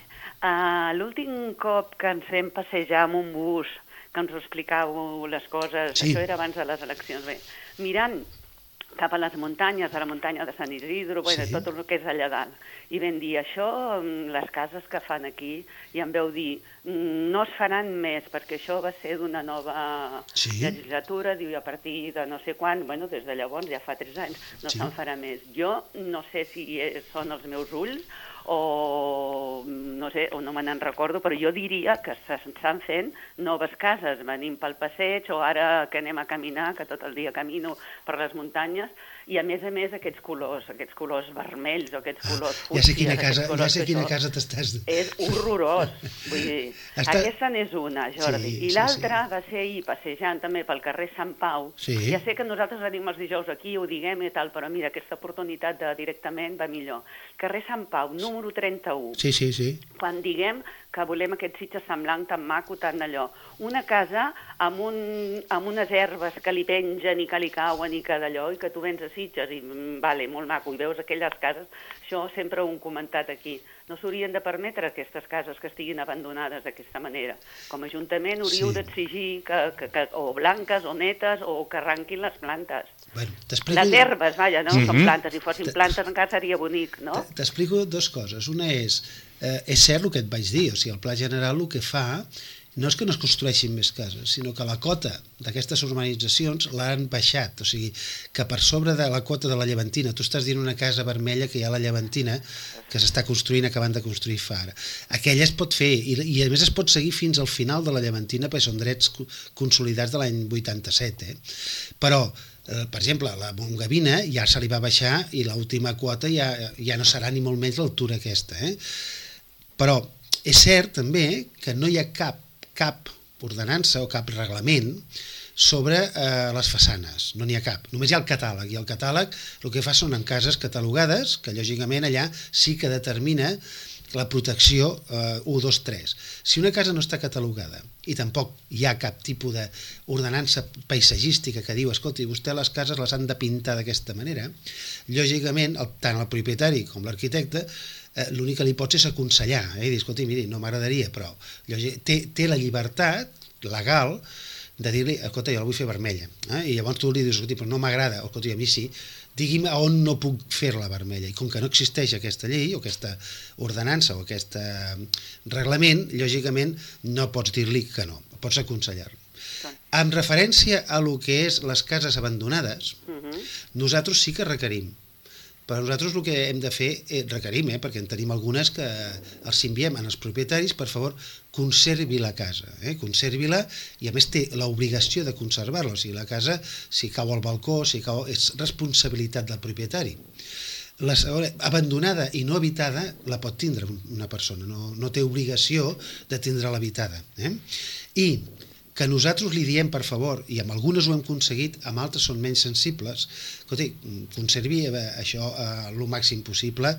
l'últim cop que ens vam passejar amb un bus, que ens explicàveu les coses, sí. Això era abans de les eleccions, bé, mirant cap a les muntanyes, a la muntanya de Sant Isidro, sí. Tot el que és allà dalt. I vam dir, això, les cases que fan aquí, i em veu dir, no es faran més, perquè això va ser d'una nova legislatura, diu, a partir de no sé quan, bueno, des de llavors, ja fa 3 anys, no se'n farà més. Jo no sé si són els meus ulls, o no sé, o no me n'en recordo, però jo diria que s'estan fent noves cases, venim pel passeig, o ara que anem a caminar, que tot el dia camino per les muntanyes, i a més aquests colors vermells, o aquests colors fúcsies... Ja sé quina casa t'estàs... És horrorós, vull dir, aquesta n'és una, Jordi, i l'altra va ser ahir passejant també pel carrer Sant Pau, ja sé que nosaltres venim els dijous aquí, ho diguem i tal, però mira, aquesta oportunitat de directament va millor. Carrer Sant Pau, número 31. Sí. Quan diguem que volem aquest Sitges semblant tan maco, tan allò. Una casa amb unes herbes que li pengen i que li cauen i que d'allò, i que tu vens a Sitges i vale, molt maco, i veus aquelles cases, això sempre ho hem comentat aquí. No s'haurien de permetre aquestes cases que estiguin abandonades d'aquesta manera. Com a Ajuntament hauríeu d'exigir que o blanques o netes o que arranquin les plantes. Bueno, les herbes, vaja, no? Són plantes, si fossin plantes encara seria bonic, no? T'explico 2 coses. Una és cert el que et vaig dir, o sigui, el Pla General el que fa no és que no es construeixin més cases, sinó que la cota d'aquestes urbanitzacions l'han baixat, o sigui, que per sobre de la quota de la Llevantina, tu estàs dient una casa vermella que hi ha a la Llevantina, que s'està construint, acabant de construir fa ara. Aquella es pot fer, i a més es pot seguir fins al final de la Llevantina, perquè són drets consolidats de l'any 87, Però, per exemple, la Montgavina ja se li va baixar i l'última quota ja no serà ni molt menys l'altura aquesta, Però és cert també que no hi ha cap ordenança o cap reglament sobre les façanes, no n'hi ha cap, només hi ha el catàleg, i el catàleg el que fa són en cases catalogades, que lògicament allà sí que determina la protecció 1, 2, 3. Si una casa no està catalogada i tampoc hi ha cap tipus d'ordenança paisatgística que diu, escolti, vostè les cases les han de pintar d'aquesta manera, lògicament tant el propietari com l'arquitecte l'únic que li pots és aconsellar, i dir, escolti, miri, no m'agradaria, però té la llibertat legal de dir-li, escolta, jo la vull fer vermella, i llavors tu li dius, escolti, però no m'agrada, escolti, a mi sí, digui'm a on no puc fer-la vermella, i com que no existeix aquesta llei, o aquesta ordenança, o aquest reglament, lògicament no pots dir-li que no, pots aconsellar-li. En referència a lo que és les cases abandonades, nosaltres sí que requerim. Però nosaltres el que hem de fer, requerim, perquè en tenim algunes que els enviem als propietaris, per favor, conservi la casa, conservi-la, i a més té l'obligació de conservar-la, o sigui, la casa, si cau al balcó, és responsabilitat del propietari. La segona, abandonada i no habitada, la pot tindre una persona, no té obligació de tindre l'habitada. I que nosaltres li diem, per favor, i amb algunes ho hem aconseguit, amb altres són menys sensibles, escolti, conservi això el màxim possible,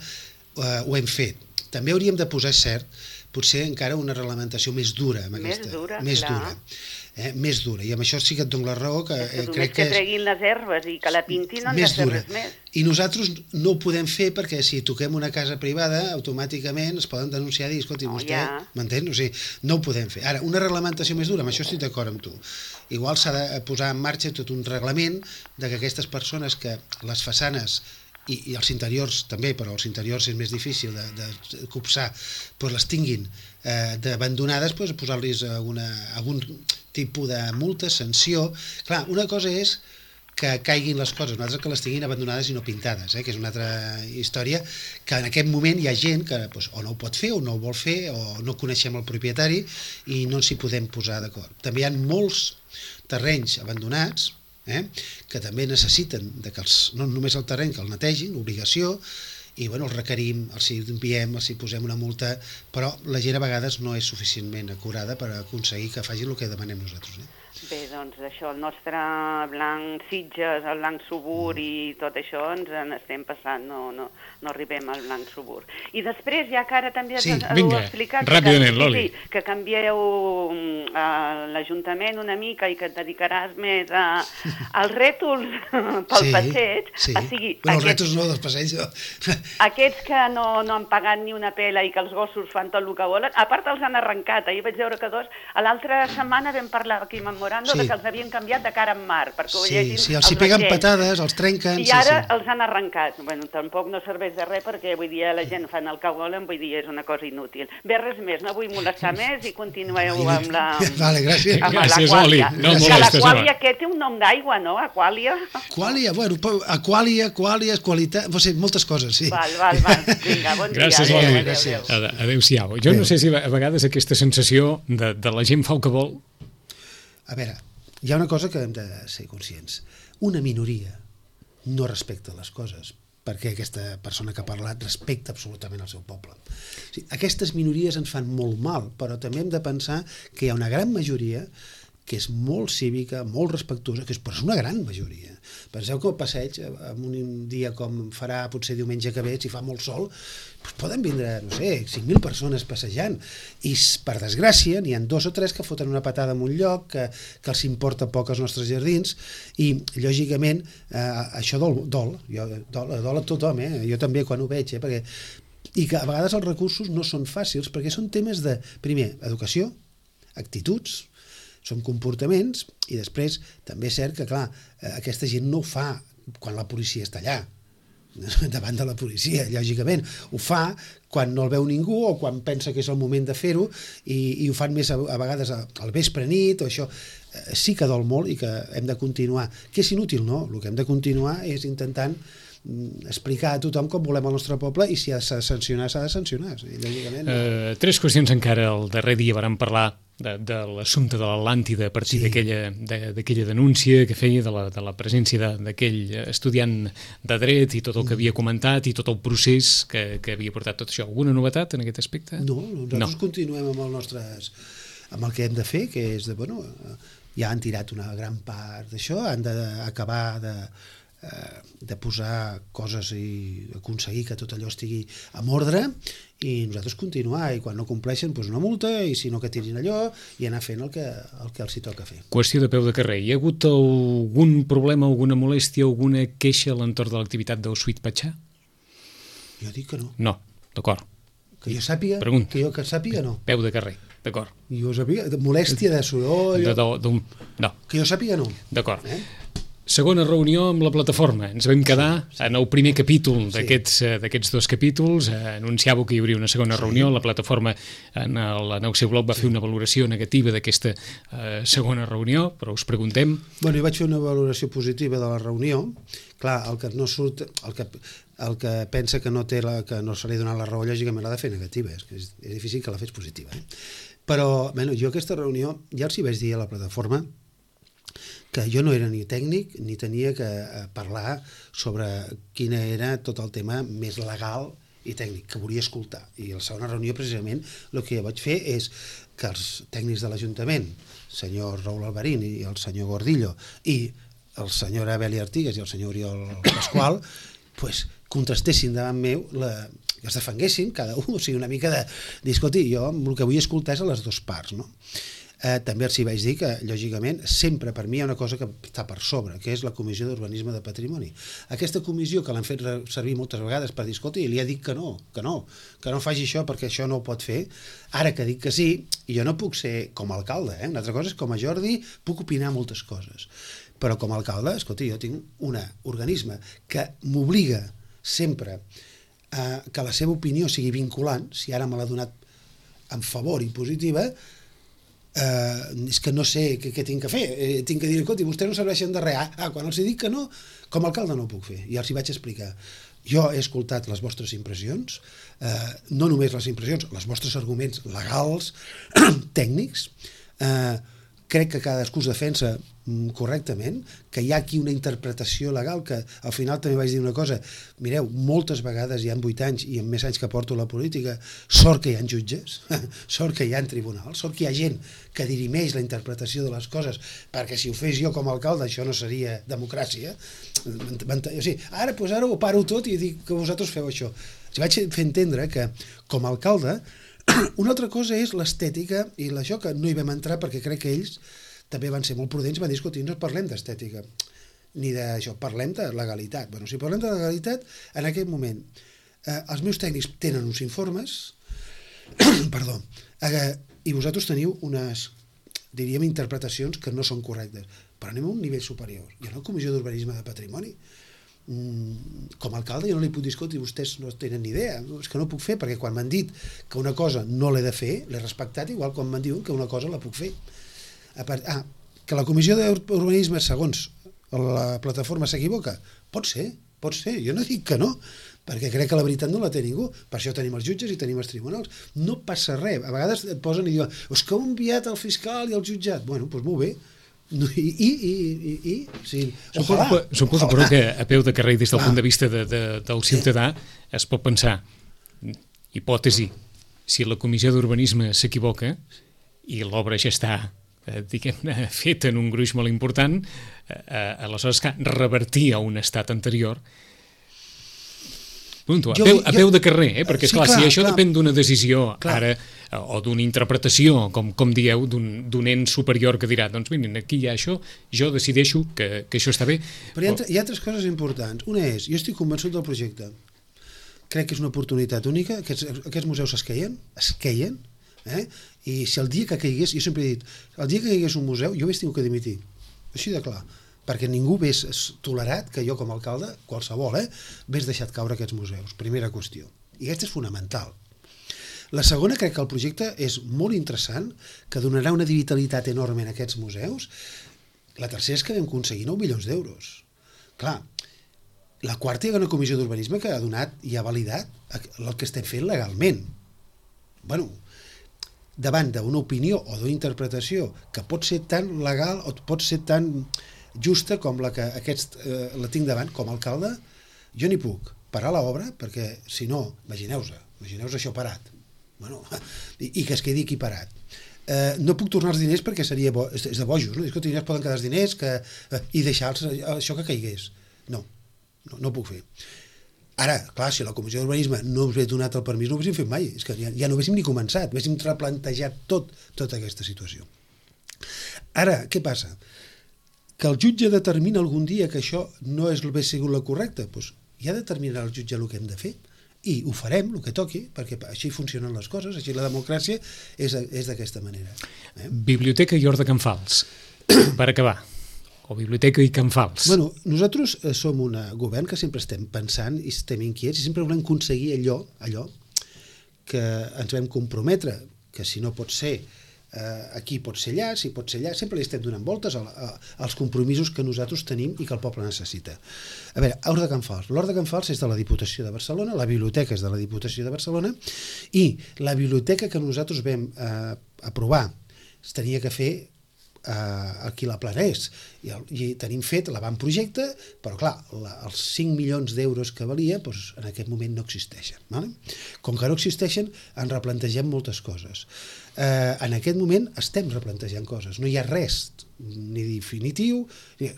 ho hem fet. També hauríem de posar, cert, potser encara una reglamentació més dura. Més dura. més dura, i amb això sí que et dono la raó, que crec que treguin les herbes i que la pintin no han de fer res més. I nosaltres no ho podem fer perquè si toquem una casa privada, automàticament es poden denunciar i dir, escolti, vostè, m'entén? O sigui, no ho podem fer. Ara, una reglamentació més dura, amb això estic d'acord amb tu. Igual s'ha de posar en marxa tot un reglament de que aquestes persones que les façanes i els interiors també, però els interiors és més difícil de copsar, doncs les tinguin d'abandonades, doncs posar-los algun tipus de multa, sanció. Clar, una cosa és que caiguin les coses, una altra que les tinguin abandonades i no pintades, que és una altra història, que en aquest moment hi ha gent que o no ho pot fer, o no ho vol fer, o no coneixem el propietari i no ens hi podem posar d'acord. També hi ha molts terrenys abandonats que també necessiten que no només el terreny que el netegin, obligació, i els requerim, els enviem, els posem una multa, però la gent a vegades no és suficientment acurada per aconseguir que facin el que demanem nosaltres. Bé, doncs això, el nostre blanc Sitges, el blanc Subur i tot això ens n'estem passant, no arribem al blanc Subur. I després, ja que ara també has explicat que canvieu l'Ajuntament una mica i que et dedicaràs més als rètols pel passeig, o sigui... Els rètols no, dels passeigs. Aquests que no han pagat ni una pela i que els gossos fan tot el que volen, a part els han arrencat, ahir vaig veure que l'altra setmana vam parlar aquí amb de que els havien canviat de cara en mar, perquè ho llegin els hi peguen patades, els trenquen... I ara els han arrencat. Bueno, tampoc no serveix de res, perquè vull dir, la gent fan el que volen, vull dir, és una cosa inútil. Bé, res més, no vull molestar més i continueu amb la... Vale, gràcies. Gràcies, Oli. No molestes, l'Aquàlia, que té un nom d'aigua, no? Aquàlia. Aquàlia, bueno, Aquàlia, qualitat, moltes coses, sí. Val. Vinga, bon dia. Gràcies, Oli. Adéu-siau. Jo no sé si a vegades aquesta sensació de la gent fa el que vol. A veure, hi ha una cosa que hem de ser conscients. Una minoria no respecta les coses, perquè aquesta persona que ha parlat respecta absolutament el seu poble. O sigui, aquestes minories ens fan molt mal, però també hem de pensar que hi ha una gran majoria que és molt cívica, molt respectuosa, però és una gran majoria. Penseu que el passeig, en un dia com farà potser diumenge que ve, si fa molt sol, doncs poden vindre, no sé, 5.000 persones passejant, i per desgràcia n'hi ha 2 o 3 que foten una patada en un lloc, que els importa poc als nostres jardins, i lògicament això dol a tothom, jo també quan ho veig, i que a vegades els recursos no són fàcils, perquè són temes de, primer, educació, actituds, són comportaments, i després també és cert que, clar, aquesta gent no ho fa quan la policia està allà, davant de la policia, lògicament. Ho fa quan no el veu ningú o quan pensa que és el moment de fer-ho, i ho fan més a vegades al vespre nit, o això sí que dol molt i que hem de continuar. Que és inútil, no? El que hem de continuar és intentant explicar a tothom com volem el nostre poble, i si s'ha de sancionar, s'ha de sancionar. Lògicament. 3 qüestions encara. El darrer dia vàrem parlar de l'assumpte de l'Atlàntida a partir d'aquella denúncia que feia de la presència d'aquell estudiant de dret i tot el que havia comentat i tot el procés que havia portat tot això. Alguna novetat en aquest aspecte? No, nosaltres continuem amb el que hem de fer, que és ja han tirat una gran part d'això, han d'acabar de posar coses i aconseguir que tot allò estigui en ordre, i nosaltres continuar, i quan no compleixen una multa, i si no que tirin allò, i anar fent el que els hi toca fer. Qüestió de peu de carrer. Hi ha hagut algun problema, alguna molèstia, alguna queixa a l'entorn de l'activitat del Sweet Pachá? Jo dic que no. No, d'acord. Que jo sàpiga, no. Peu de carrer, d'acord. Jo sàpiga, molèstia de soroll... No. Que jo sàpiga, no. D'acord. Segona reunió amb la plataforma. Ens vam quedar en el primer capítol d'aquests 2 capítols. Anunciàveu que hi hauria una segona reunió. La plataforma en el seu blog va fer una valoració negativa d'aquesta segona reunió, però us preguntem... Bueno, jo vaig fer una valoració positiva de la reunió. Clar, el que no surt, el que pensa que no se li ha donat la raó, lògicament l'ha de fer negativa. És difícil que la fes positiva. Però jo aquesta reunió ja els hi vaig dir a la plataforma que jo no era ni tècnic ni tenia que parlar sobre quin era tot el tema més legal i tècnic, que volia escoltar. I a la segona reunió, precisament, el que vaig fer és que els tècnics de l'Ajuntament, el senyor Raúl Alvarín i el senyor Gordillo, i el senyor Abeli Artigas i el senyor Oriol Pasqual, contrastessin davant meu, que es defenguessin cada un, o sigui, una mica de dir, escolti, jo el que vull escoltar és a les 2 parts, no? També els hi vaig dir que, lògicament, sempre per mi hi ha una cosa que està per sobre, que és la Comissió d'Urbanisme de Patrimoni. Aquesta comissió que l'han fet servir moltes vegades per dir, escolti, li ha dit que no faci això perquè això no ho pot fer. Ara que dic que sí, jo no puc ser com a alcalde, una altra cosa és com a Jordi puc opinar moltes coses. Però com a alcalde, escolti, jo tinc un organisme que m'obliga sempre que la seva opinió sigui vinculant, si ara me l'ha donat en favor i positiva, és que no sé què tinc que fer. Tinc que dir, escolti, vostès no serveixen de res. Quan els dic que no, com a alcalde no ho puc fer. I els hi vaig explicar. Jo he escoltat les vostres impressions, no només les impressions, els vostres arguments legals, tècnics, crec que cadascú es defensa correctament, que hi ha aquí una interpretació legal que al final també vaig dir una cosa, mireu, moltes vegades hi ha 8 anys i en més anys que porto la política, sort que hi ha jutges, sort que hi ha tribunals, sort que hi ha gent que dirimeix la interpretació de les coses, perquè si ho fes jo com a alcalde això no seria democràcia. O sigui, ara ho paro tot i dic que vosaltres feu això. Si vaig fer entendre que com a alcalde una altra cosa és l'estètica i això que no hi vam entrar perquè crec que ells també van ser molt prudents, van dir, escolti, no parlem d'estètica ni d'això, parlem de legalitat. Bueno, si parlem de legalitat, en aquest moment els meus tècnics tenen uns informes perdó, i vosaltres teniu unes, diríem, interpretacions que no són correctes, però anem a un nivell superior. Hi ha una comissió d'urbanisme de patrimoni. Com a alcalde jo no li puc dir, escolti, vostès no tenen ni idea, és que no puc fer, perquè quan m'han dit que una cosa no l'he de fer, l'he respectat, igual quan m'han dit que una cosa la puc fer. Que la comissió d'urbanisme, segons la plataforma, s'equivoca? Pot ser, jo no dic que no, perquè crec que la veritat no la té ningú, per això tenim els jutges i tenim els tribunals, no passa res, a vegades et posen i diuen, és que heu enviat el fiscal i el jutjat, bueno, doncs molt bé. Sí, suposo però que a peu de carrer des del punt de vista del ciutadà es pot pensar, hipòtesi, si la comissió d'urbanisme s'equivoca i l'obra ja està diguem-ne feta en un gruix molt important, aleshores que revertir a un estat anterior a peu de carrer, perquè esclar, si això depèn d'una decisió ara o d'una interpretació, com dieu, d'un ent superior que dirà, doncs miren, aquí hi ha això, jo decideixo que això està bé. Però hi ha altres coses importants. Una és, jo estic convençut del projecte. Crec que és una oportunitat única. Aquests museus es queien, i si el dia que caigués, jo sempre he dit, el dia que caigués un museu, jo hagués tingut que dimitir. Així de clar. Perquè ningú hagués tolerat que jo com a alcalde, qualsevol, hagués deixat caure aquests museus. Primera qüestió. I aquesta és fonamental. La segona, crec que el projecte és molt interessant, que donarà una vitalitat enorme en aquests museus. La tercera és que vam aconseguir 9 milions d'euros. Clar, la quarta hi ha una comissió d'urbanisme que ha donat i ha validat el que estem fent legalment. Bueno, davant d'una opinió o d'una interpretació que pot ser tan legal o pot ser tan justa com la que la tinc davant com a alcalde, jo n'hi puc parar l'obra, perquè si no, imagineu-vos això parat, bueno, i que es quedi aquí parat. No puc tornar els diners perquè seria és de bojos, no? Escolta, es poden quedar els diners i deixar això que caigués. No ho puc fer. Ara, clar, si la comissió d'urbanisme no us hagués donat el permís, no ho haguéssim fet mai, és que ja no haguéssim ni començat, haguéssim replantejat tota aquesta situació. Ara, què passa? Que el jutge determina algun dia que això no hauria sigut la correcta, doncs ja determinarà el jutge el que hem de fer i ho farem, el que toqui, perquè així funcionen les coses, així la democràcia és d'aquesta manera. Biblioteca i Hort de Can Fals, per acabar, o Biblioteca i Can Fals. Bueno, nosaltres som un govern que sempre estem pensant i estem inquiets i sempre volem aconseguir allò que ens vam comprometre, que si no pot ser aquí pot ser allà, si pot ser allà, sempre li estem donant voltes als compromisos que nosaltres tenim i que el poble necessita. A veure, Hort de Can Fals. L'Hort de Can Fals és de la Diputació de Barcelona, la biblioteca és de la Diputació de Barcelona i la biblioteca que nosaltres vam aprovar es tenia que fer aquí la Planés i tenim fet l'avantprojecte, però clar, els 5 milions d'euros que valia en aquest moment no existeixen. Com que no existeixen, ens replantegem moltes coses. En aquest moment estem replantejant coses, no hi ha res ni definitiu,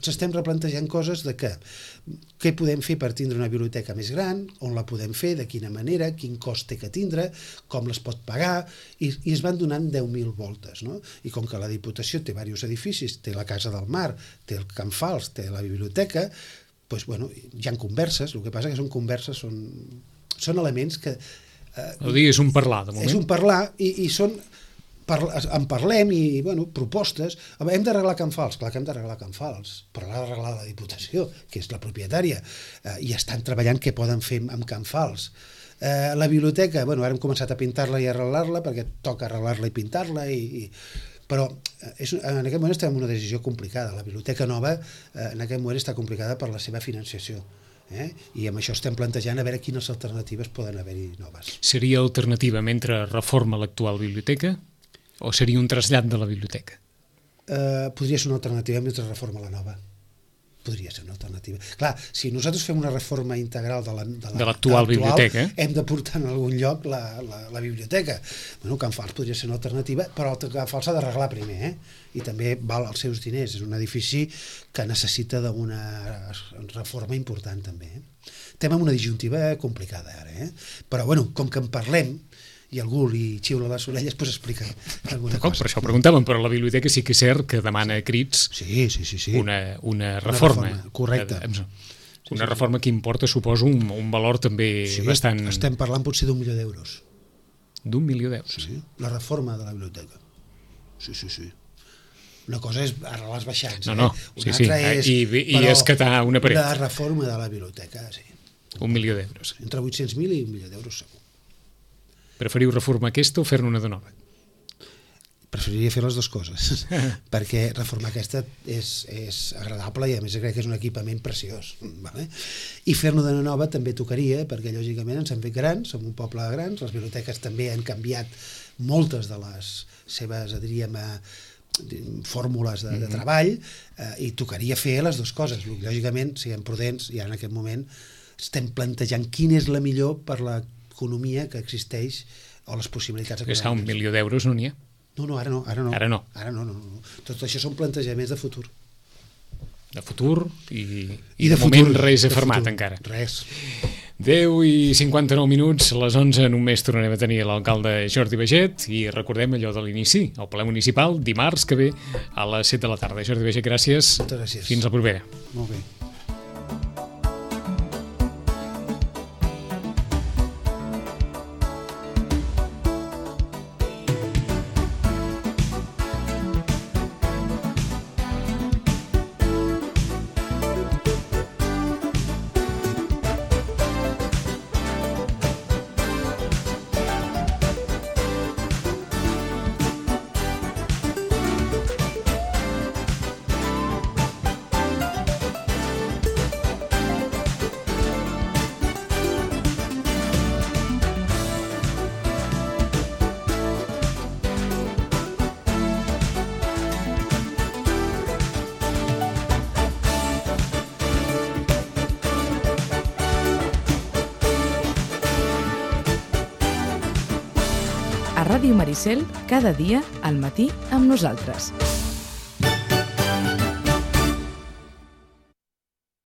s'estem replantejant coses de què podem fer per tindre una biblioteca més gran, on la podem fer, de quina manera, quin cost té que tindre, com les pot pagar, i es van donant 10.000 voltes, no? I com que la Diputació té diversos edificis, té la Casa del Mar, té el Can Fals, té la biblioteca, doncs, bueno, hi ha converses, el que passa que són converses, són elements que... És un parlar, de moment. És un parlar, i són... En parlem i, bueno, propostes. Hem d'arreglar Can Fals, clar que hem d'arreglar Can Fals, però l'ha d'arreglar la Diputació, que és la propietària, i estan treballant què poden fer amb Can Fals. La biblioteca, bueno, ara hem començat a pintar-la i arreglar-la, perquè toca arreglar-la i pintar-la, però en aquest moment estem en una decisió complicada. La biblioteca nova en aquest moment està complicada per la seva financiació. I amb això estem plantejant a veure quines alternatives poden haver-hi noves. Seria alternativa mentre reforma l'actual biblioteca? O seria un trasllat de la biblioteca? Podria ser una alternativa mentre reforma la nova. Podria ser una alternativa. Clar, si nosaltres fem una reforma integral de l'actual biblioteca, hem de portar en algun lloc la biblioteca. Bueno, Can Fals podria ser una alternativa, però el Can Fals s'ha d'arreglar primer, i també val els seus diners. És un edifici que necessita d'una reforma important, també. Estem en una disjuntiva complicada, ara. Però, bueno, com que en parlem, i algú li xiula les orelles, doncs explica alguna cosa. Per això preguntàvem, però la biblioteca sí que és cert que demana a crits una reforma. Correcte. Una reforma que importa, suposo, un valor també bastant... Estem parlant potser d'1 milió d'euros. D'1 milió d'euros? Sí, la reforma de la biblioteca. Sí. Una cosa és arreglar els baixants. Una altra és... I escatar una paret. La reforma de la biblioteca, sí. 1 milió d'euros. Entre 800.000 i 1 milió d'euros, segur. Preferiu reformar aquesta o fer-ne una de nova? Preferiria fer les dues coses, perquè reformar aquesta és agradable i a més crec que és un equipament preciós. Vale? I fer-ne de nova també tocaria, perquè lògicament ens hem fet grans, som un poble de grans, les biblioteques també han canviat moltes de les seves, diríem, fórmules de treball, i tocaria fer les dues coses. Lògicament, siguem prudents, i ara en aquest moment estem plantejant quina és la millor per l'economia que existeix o les possibilitats econòmiques. És que 1 milió d'euros no n'hi ha. No, ara no. Ara no. Tot això són plantejaments de futur. De futur i de moment res afermat encara. Res. 10:59, a les 11 només tornarem a tenir l'alcalde Jordi Baiget i recordem allò de l'inici, el ple municipal, dimarts que ve a les 7 de la tarda. Jordi Baiget, gràcies. Moltes gràcies. Fins la propera. Molt bé. A Ràdio Maricel, cada dia al matí amb nosaltres.